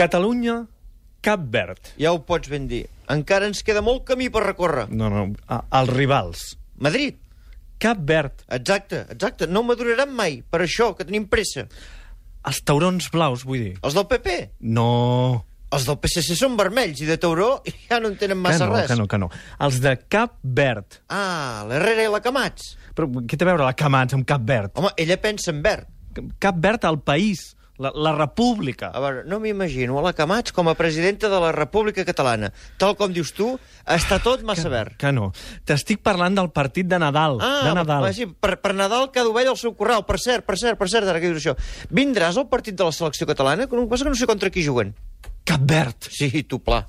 Catalunya, Cap Verd. Ja ho pots ben dir. Encara ens queda molt camí per recórrer. No, els rivals. Madrid. Cap Verd. Exacte. No maduraran mai. Per això, que tenim pressa. Els taurons blaus, vull dir. Els del PP? No. Els del PSC són vermells i de tauró ja no en tenen massa res. Que no. Els de Cap Verd. Ah, l'Herrera i la Camats. Però què té a veure la Camats amb Cap Verd? Home, ella pensa en verd. Cap Verd, el país, la república. A veure, no m'imagino a la Camats com a presidenta de la República Catalana. Tal com dius tu, està tot massa verd. Que no. T'estic parlant del partit de Nadal. De Nadal. Sí, per Nadal cada ovella al seu corral. Per cert, ara que dius això. Vindràs al partit de la selecció catalana? El que passa que no sé contra qui juguen. Cap Verd. Sí, tu pla.